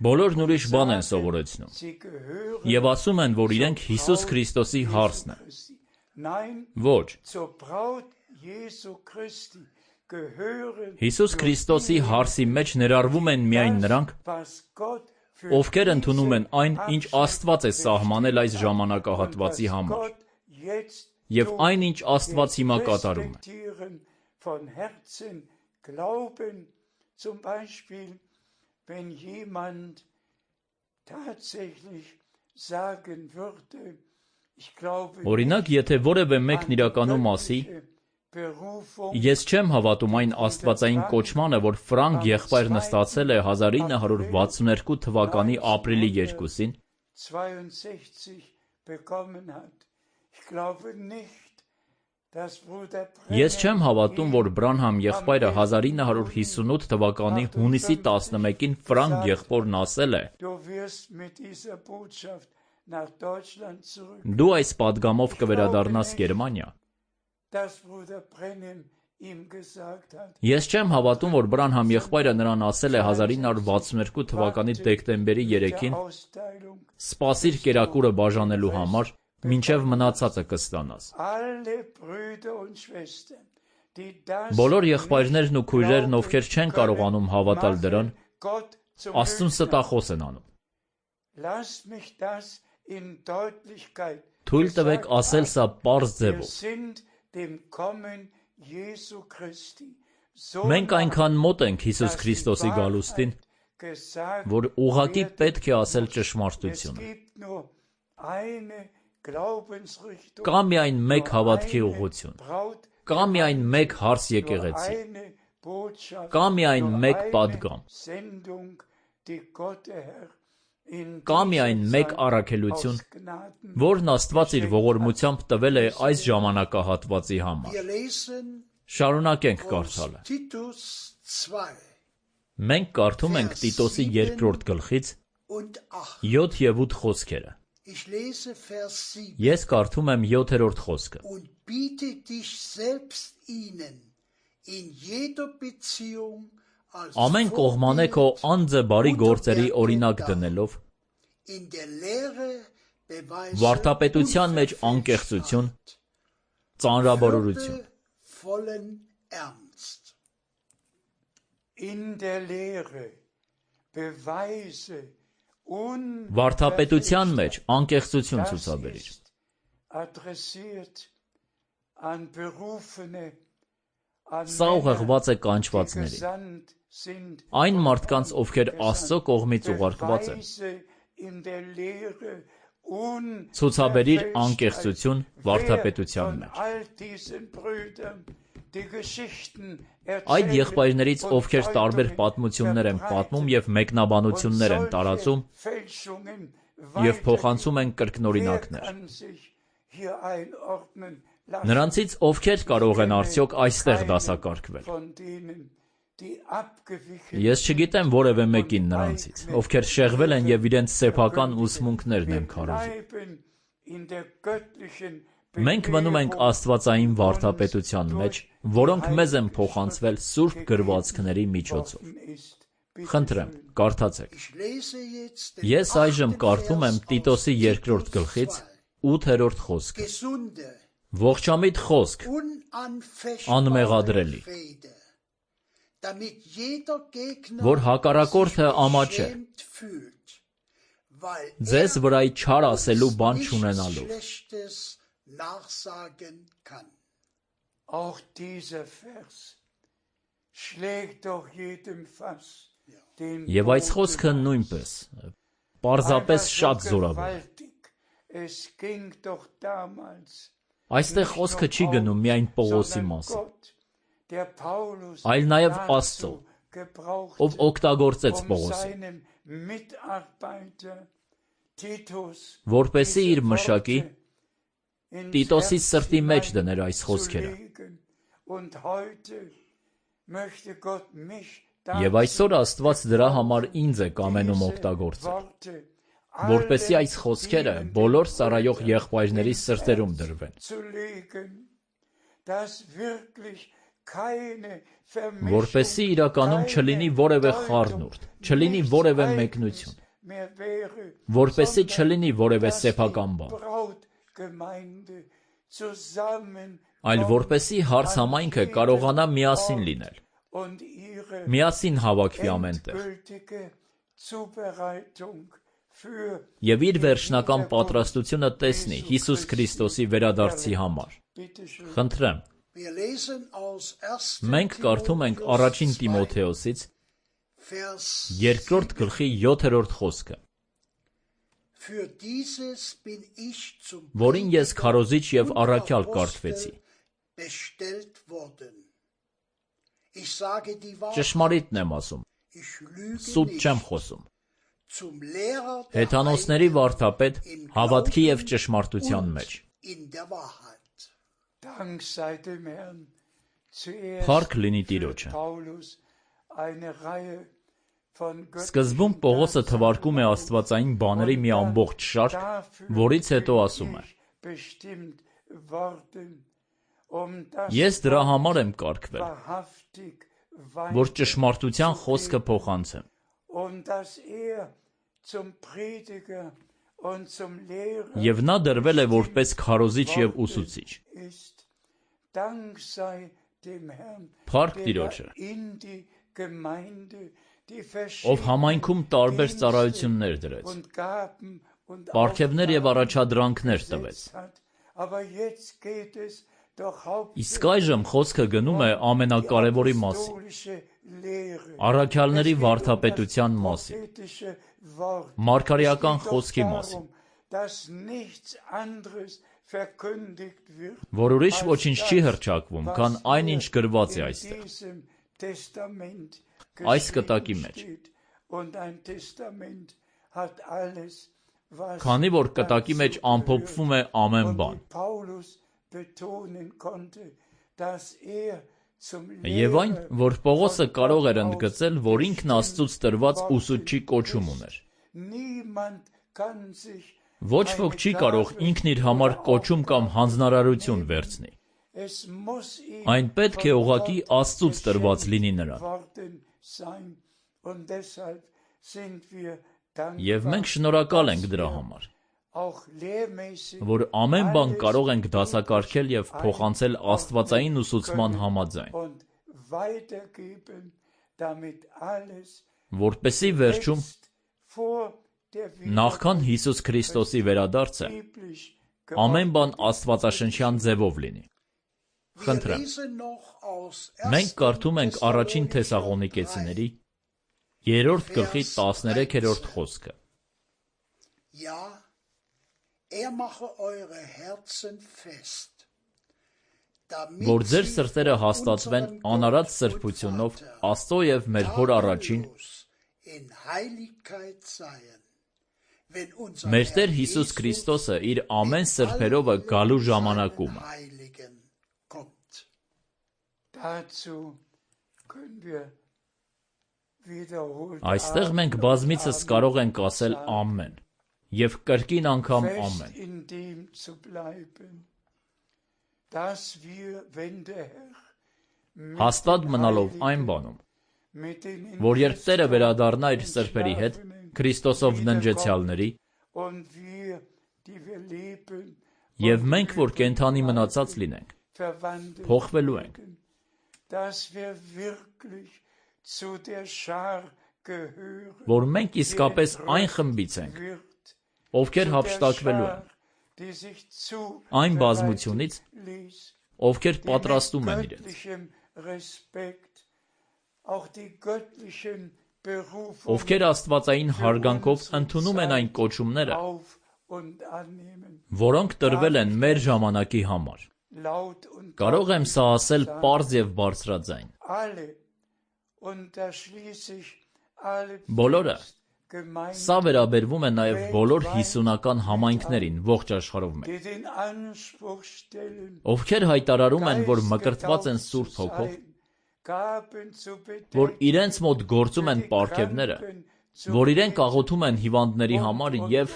Բոլորն ուրիշ բան են սովորեցնում և ասում են, որ իրենք Հիսուս Քրիստոսի հարսն են։ Ոչ, Հիսուս Քրիստոսի հարսի մեջ ներառվում են միայն նրանք, ովքեր ընդունում են այն, ինչ Աստված է սահմանել այս ժամանակահատվածի համար, և այն, ինչ Աստված հիմա կատարում է։ Օրինակ, եթե որևէ մեկն իրականում ասի. ես չեմ հավատում այն աստվածային կոչմանը, որ Ֆրանկ եղբայրն ստացել է 1962 թվականի ապրիլի 2-ին, ես չեմ հավատում, որ Բրանհամ եղբայրը 1958 թվականի հունիսի 11-ին Ֆրանկ եղբորն ասել է. դու այս պատգամով կվերադառնաս Գերմանիա։ Ես չեմ հավատում, որ Բրանհամ եղբայրը նրան ասել է 1962 թվականի դեկտեմբերի 3-ին. սպասիր կերակուրը բաժանելու համար, մինչև մնացածը կստանաս։ Բոլոր եղբայրներն ու քույրերն, ովքեր չեն կարողանում հավատալ դրան, Աստծուն ստախոս են անում։ Թույլ տվեք ասել սա պարզ ձևով։ Մենք այնքան մոտ ենք Հիսուս Քրիստոսի գալուստին, որ ուղղակի պետք է ասել ճշմարտությունը։ Կա միայն մեկ հավատքի ուղղություն, կա միայն մեկ հարս եկեղեցի, կա միայն մեկ պատգամ, կա միայն մեկ առաքելություն, որն Աստված իր ողորմությամբ տվել է այս ժամանակահատվածի համար։ Շարունակենք կարդալը։ Մենք կարդում ենք Տիտոսի 2-րդ գլխից 7 և 8 խոսքերը։ Ես կարդում եմ 7-րդ խոսքը։ Ամեն կողմանե քո անձը բարի գործերի օրինակ դնելով, վարդապետության մեջ անկեղծություն, ծանրաբարորություն։ Վարդապետության մեջ անկեղծություն ցուցաբերիր։ Սա ուղղված է կանչվածների, այն մարդկանց, ովքեր Աստծո կողմից ուղարկված են։ Ցուցաբերիր անկեղծություն վարդապետության մեջ։ Այդ եղբայրներից, ովքեր տարբեր պատմություններ են պատմում և մեկնաբանություններ են տարածում և փոխանցում են կրկնօրինակներ։ Նրանցից ովքեր կարող են արդյոք այստեղ դասակարգվել։ Ես չգիտեմ որևէ մեկին նրանցից, ովքեր շեղվել են և իրենց սեփական ուսմունքներն են քարոզում։ Մենք մնում ենք աստվածային վարդապետության մեջ, որոնք մեզ են փոխանցվել սուրբ գրվածքների միջոցով։ Խնդրեմ, կարդացեք։ Ես այժմ կարդում եմ Տիտոսի 2-րդ գլխից 8-րդ խոսքը։ Ողջամիտ խոսք, անմեղադրելի, որ հակառակորդը ամաչե, ձեզ վրա չար ասելու բան չունենալով։ Եվ այս խոսքը նույնպես, պարզապես շատ զորավոր է։ Այստեղ խոսքը չի գնում միայն Պողոսի մասին, այլ նաև Աստծո, ով օգտագործեց Պողոսին, որպեսզի իր մշակի Տիտոսի սրտի մեջ դներ այս խոսքերը։ Եվ այսօր Աստված դրա համար ինձ է կամենում օգտագործել, որպեսզի այս խոսքերը բոլոր ծառայող եղբայրների սրտերում դրվեն, որպեսզի իրականում չլինի որևէ խառնուրդ, չլինի որևէ մեկնություն, որպեսզի չլինի որևէ սեփական բան, այլ որպեսզի հարսհամայնքը կարողանա միասին լինել, միասին հավաքվի ամենտեղ և իր վերջնական պատրաստությունը տեսնի Հիսուս Քրիստոսի վերադարձի համար։ Խնդրեմ, մենք կարդում ենք առաջին Տիմոթեոսից 2-րդ գլխի 7-րդ խոսքը, որին ես քարոզիչ և առաքյալ կարգվեցի։ Ճշմարիտն եմ ասում, սուտ չեմ խոսում։ Հեթանոսների վարդապետ հավատքի և ճշմարտության մեջ։ Փառք լինի Տիրոջը։ Սկզբում Պողոսը թվարկում է աստվածային բաների մի ամբողջ շարք, որից հետո ասում է. Ես դրա համար եմ կարգվել, որ ճշմարտության խոսքը փոխանցեմ։ Եվ նա դրվել է որպես քարոզիչ և ուսուցիչ։ Փառք Տիրոջը, ով համայնքում տարբեր ծառայություններ դրեց, պարգևներ և առաջադրանքներ տվեց։ Իսկ այժմ խոսքը գնում է ամենակարևորի մասին, առաքյալների վարդապետության մասին, մարգարեական խոսքի մասին, որ ուրիշ ոչինչ չի հռչակվում, քան այն, ինչ գրված է այստեղ, այս կտակի մեջ։ Քանի որ կտակի մեջ ամփոփվում է ամեն բան։ Եվ այն, որ Պողոսը կարող էր ընդգծել, որ ինքն Աստծուց տրված ուսուցչի կոչում ուներ։ Ոչ ոք չի կարող ինքն իր համար կոչում կամ հանձնարարություն վերցնի։ Այն պետք է ուղղակի Աստծուց տրված լինի նրան։ Եվ մենք շնորհակալ ենք դրա համար, որ ամեն բան կարող ենք դասակարգել և փոխանցել աստվածային ուսուցման համաձայն, որպեսզի վերջում, նախքան Հիսուս Քրիստոսի վերադարձը, ամեն բան աստվածաշնչյան ձևով լինի։ Խնդրեմ։ Մենք կարդում ենք առաջին Թեսաղոնիկեցիների 3-րդ գլխի 13-րդ խոսքը։ Որ ձեր սրտերը հաստատվեն անարատ սրբությունով Աստծո և մեր Հոր առաջին, մեր Տեր Հիսուս Քրիստոսը իր ամեն սրբերովը գալու ժամանակումը։ Այստեղ մենք բազմիցս կարող ենք ասել ամեն և կրկին անգամ ամեն։ Հաստատ մնալով այն բանում, որ երբ Տերը վերադառնա իր սրբերի հետ, Քրիստոսով ննջեցյալների, և մենք, որ կենդանի մնացած լինենք, փոխվելու ենք, որ մենք իսկապես այն խմբից ենք, ովքեր հափշտակվելու են, այն բազմությունից, ովքեր պատրաստում են իրենց, ովքեր աստվածային հարգանքով ընդունում են այն կոչումները, որոնք տրվել են մեր ժամանակի համար։ Կարող եմ սա ասել պարզ և բարձրաձայն։ Բոլորը, սա վերաբերվում է նաև բոլոր հիսունական համայնքներին ողջ աշխարհով մեկ, ովքեր հայտարարում են, որ մկրտված են Սուրբ Հոգով, որ իրենց մոտ գործում են պարգևները, որ իրենք աղոթում են հիվանդների համար և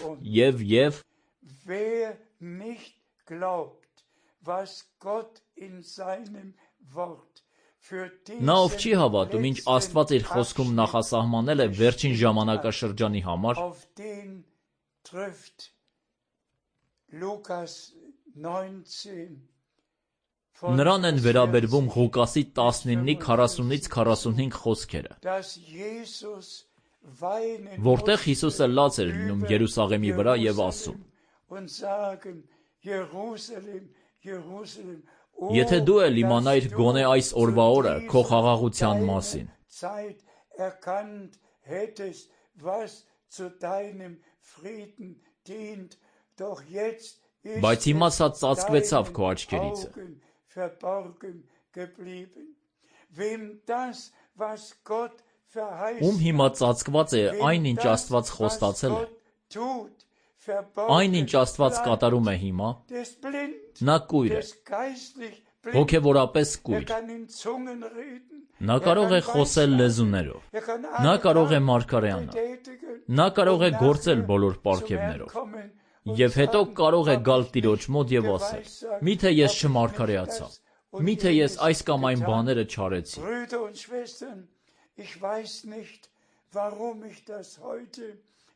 նա, ով չի հավատում, ինչ Աստված իր խոսքում նախասահմանել է վերջին ժամանակաշրջանի համար, նրան են վերաբերվում Ղուկասի 19:40-45 խոսքերը, որտեղ Հիսուսը լաց էր լինում Երուսաղեմի վրա և ասում. Եթե դու էլ իմանայիր գոնե այս օրվա օրը քո խաղաղության մասին, բայց հիմա սա ծածկվեցավ քո աչքերիցը։ Ում հիմա ծածկված է այն, ինչ Աստված խոստացել է, այն, ինչ Աստված կատարում է հիմա, նա կույր է, հոգևորապես կույր։ Նա կարող է խոսել լեզուներով, նա կարող է մարգարեանալ, նա կարող է գործել բոլոր պարգևներով, և հետո կարող է գալ Տիրոջ մոտ և ասել. միթե ես չմարգարեացա, միթե ես այս կամ այն բաները չարեցի։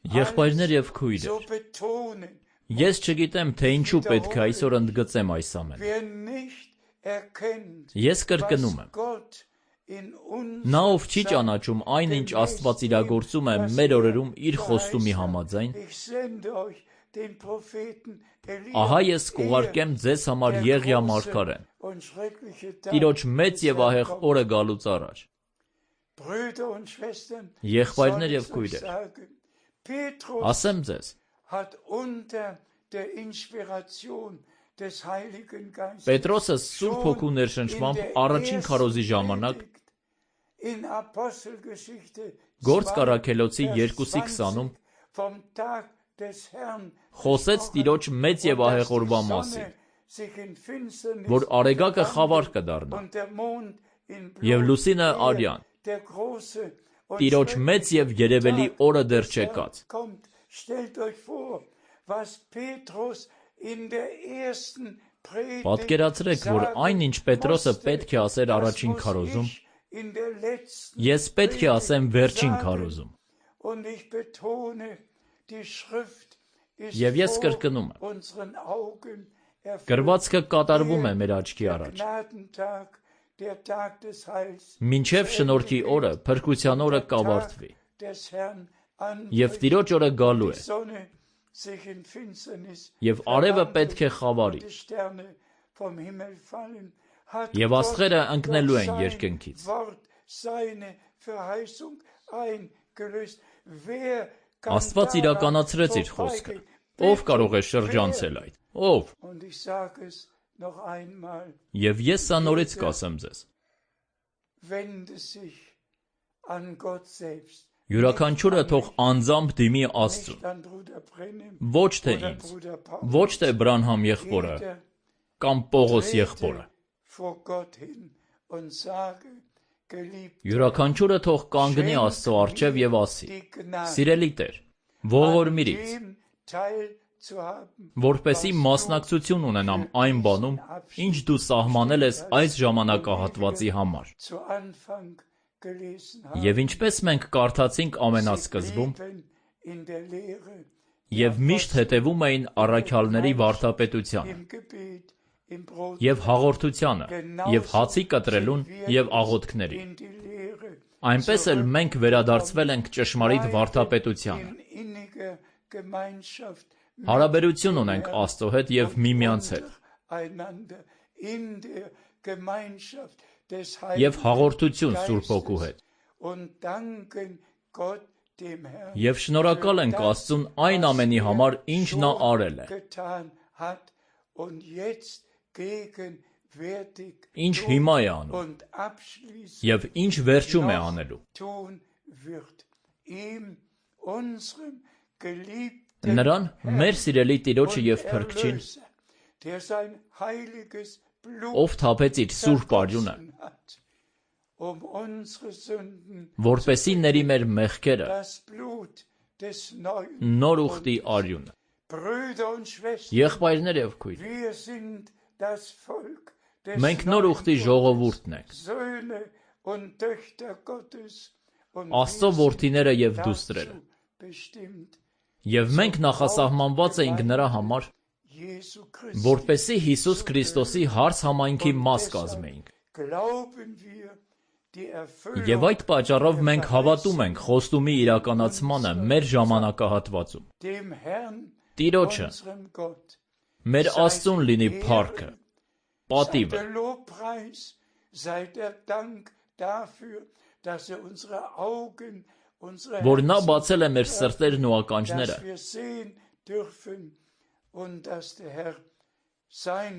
Եղբայրներ և քույրեր, ես չգիտեմ, թե ինչու պետք է այսօր ընդգծեմ այս ամենը։ Ես կրկնում եմ. նա, ով չի ճանաչում այն, ինչ Աստված իրագործում է մեր օրերում իր խոստումի համաձայն, ահա ես կուղարկեմ ձեզ համար Եղիա մարգարեն, Տիրոջ մեծ և ահեղ օրը գալուց առաջ։ Եղբայրներ և քույրեր, ասեմ ձեզ, Պետրոսը Սուրբ Հոգու ներշնչմամբ առաջին քարոզի ժամանակ Գործք առաքելոցի 2:20-ում խոսեց Տիրոջ մեծ և ահեղ օրվա մասին, որ արեգակը խավար կդառնա, և լուսինը արյան, Տիրոջ մեծ և երևելի օրը դեռ չեկած։ Պատկերացրեք, որ այն, ինչ Պետրոսը պետք է ասեր առաջին քարոզում, ես պետք է ասեմ վերջին քարոզում։ Եվ ես կրկնում եմ. գրվածքը կատարվում է մեր աչքի առաջ, մինչև շնորհքի օրը, փրկության օրը կավարտվի, և Տիրոջ օրը գալու է, և արևը պետք է խավարի, Եվ աստղերը ընկնելու են երկնքից։ Աստված իրականացրեց իր խոսքը։ Ով կարող է շրջանցել այդ։ Ով։ Եվ ես սա նորից կասեմ ձեզ։ Յուրաքանչյուրը թող անձամբ դիմի Աստծուն։ Ոչ թե ինձ, ոչ թե Բրանհամ եղբորը կամ Պողոս եղբորը։ Յուրաքանչյուրը թող կանգնի Աստծո առջև եւ ասի. «Սիրելի Տեր, ողորմիր ինձ, որպեսզի մասնակցություն ունենամ այն բանում, ինչ դու սահմանել ես այս ժամանակահատվածի համար»։ Եվ ինչպես մենք կարդացինք ամենասկզբում, եւ միշտ հետևում էին առաքյալների վարդապետությանը, եւ հաղորդությանը, եւ հացի կտրելուն եւ աղոթքներին, այնպես էլ մենք վերադարձվել ենք ճշմարիտ վարդապետությանը։ Հարաբերություն ունենք Աստծո հետ եւ միմյանց հետ։ Եվ հաղորդություն Սուրբ Հոգու հետ։ Եվ շնորհակալ ենք Աստծուն այն ամենի համար, ինչ նա արել է։ Ինչ հիմա է անում։ Եվ ինչ վերջում է անելու։ Նրան, մեր սիրելի Տիրոջը եւ Փրկչին, ով թափեց իր սուրբ արյունը, որպեսզի ների մեր մեղքերը, նոր ուխտի արյունը։ Եղբայրներ եւ քույրեր, մենք նոր ուխտի ժողովուրդն ենք, Աստծո որդիները եւ դուստրերը, եւ մենք նախասահմանված էինք նրա համար, որպեսզի Հիսուս Քրիստոսի հարց համայնքի մաս կազմեինք։ Եվ այդ պատճառով մենք հավատում ենք խոստումի իրականացմանը մեր ժամանակահատվածում։ Տիրոջը, մեր Աստծուն լինի փառքը, պատիվը, որ նա բացել է մեր սրտերն ու ականջները,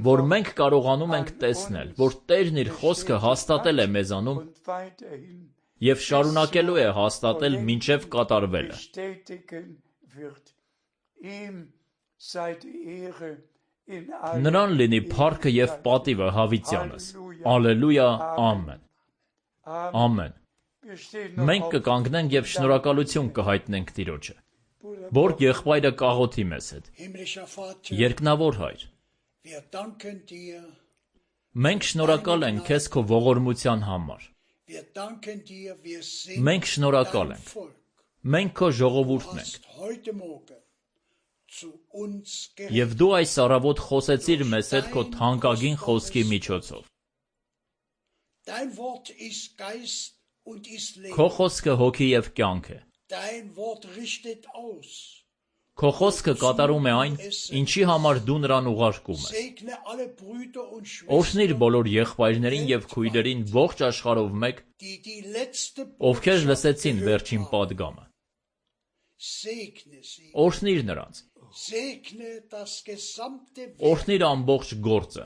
որ մենք կարողանում ենք տեսնել, որ Տերն իր խոսքը հաստատել է մեզանում եւ շարունակելու է հաստատել մինչև կատարվելը։ Նրան լինի փառքը եւ պատիվը հավիտյանս։ Ալելույա, ամեն։ Ամեն։ Մենք կկանգնենք եւ շնորհակալություն կհայտնենք Տիրոջը։ Բորգ եղբայրը կաղոթի մեզ հետ։ Երկնավոր Հայր, մենք շնորհակալ ենք քեզ քո ողորմության համար։ Մենք շնորհակալ ենք։ Մենք քո ժողովուրդն ենք։ Եվ դու այս առավոտ խոսեցիր մեզ հետ քո թանկագին խոսքի միջոցով։ Քո խոսքը հոգի եւ կյանք է։ Քո խոսքը կատարում է այն, ինչի համար դու նրան ուղարկում ես։ Օրհնիր բոլոր եղբայրներին եւ քույրերին ողջ աշխարհով մեկ, ովքեր լսեցին վերջին պատգամը։ Օրհնիր նրանց։ Օրհնիր ամբողջ գործը։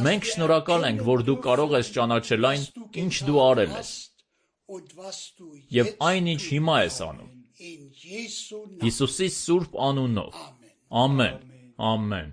Մենք շնորհակալ ենք, որ դու կարող ես ճանաչել այն, ինչ դու արել ես, եւ այն, ինչ հիմա ես անում։ Հիսուսի սուրբ անունով։ Ամեն։ Ամեն։